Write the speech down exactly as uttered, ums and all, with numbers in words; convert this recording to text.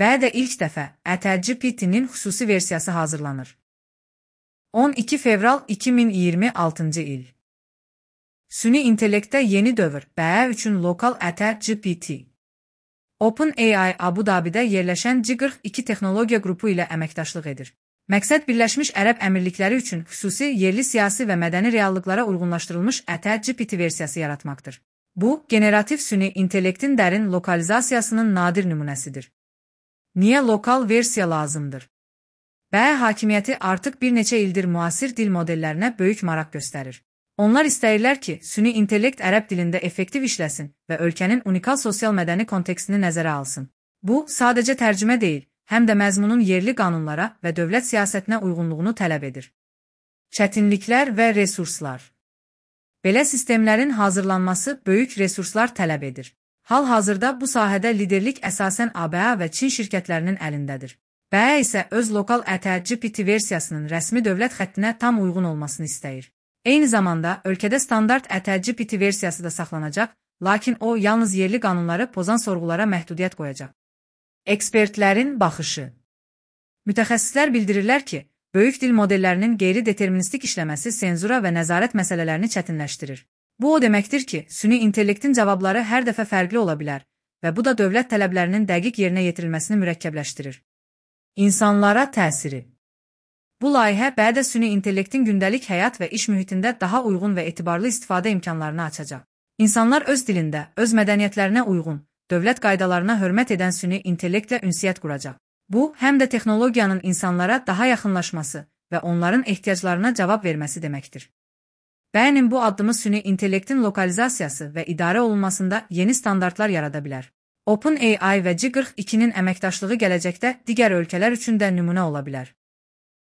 və də ilk dəfə A T G P T-nin xüsusi versiyası hazırlanır. on iki fevral iki min iyirmi altıncı il. Süni intellektdə yeni dövr B E üçün lokal A T G P T. OpenAI Abu Dhabi'də yerləşən G qırx iki texnologiya qrupu ilə əməkdaşlıq edir. Məqsəd Birləşmiş Ərəb Əmirlikləri üçün xüsusi yerli siyasi və mədəni reallıqlara uyğunlaşdırılmış A T G P T versiyası yaratmaqdır. Bu, generativ süni intellektin dərin lokalizasiyasının nadir nümunəsidir. Niyə lokal versiya lazımdır? B E hakimiyyəti artıq bir neçə ildir müasir dil modellərinə böyük maraq göstərir. Onlar istəyirlər ki, süni intellekt ərəb dilində effektiv işləsin və ölkənin unikal sosial-mədəni kontekstini nəzərə alsın. Bu, sadəcə tərcümə deyil, həm də məzmunun yerli qanunlara və dövlət siyasətinə uyğunluğunu tələb edir. Çətinliklər və resurslar. Belə sistemlərin hazırlanması böyük resurslar tələb edir. Hal-hazırda bu sahədə liderlik əsasən A B A və Çin şirkətlərinin əlindədir. B E isə öz lokal A T G P T versiyasının rəsmi dövlət xəttinə tam uyğun olmasını istəyir. Eyni zamanda, ölkədə standart A T G P T versiyası da saxlanacaq, lakin o, yalnız yerli qanunları pozan sorğulara məhdudiyyət qoyacaq. Ekspertlərin baxışı. Mütəxəssislər bildirirlər ki, böyük dil modellərinin qeyri-deterministik işləməsi senzura və nəzarət məsələlərini çətinləşdirir. Bu o deməkdir ki, süni intellektin cavabları hər dəfə fərqli ola bilər və bu da dövlət tələblərinin dəqiq yerinə yetirilməsini mürəkkəbləşdirir. İnsanlara təsiri. Bu layihə B E-də süni intellektin gündəlik həyat və iş mühitində daha uyğun və etibarlı istifadə imkanlarını açacaq. İnsanlar öz dilində, öz mədəniyyətlərinə uyğun, dövlət qaydalarına hörmət edən süni intellektlə ünsiyyət quracaq. Bu, həm də texnologiyanın insanlara daha yaxınlaşması və onların ehtiyaclarına cavab verməsi deməkdir. B E-nin bu addımı süni intellektin lokalizasiyası və idarə olunmasında yeni standartlar yarada bilər. OpenAI və G qırx ikinin əməkdaşlığı gələcəkdə digər ölkələr üçün də nümunə ola bilər.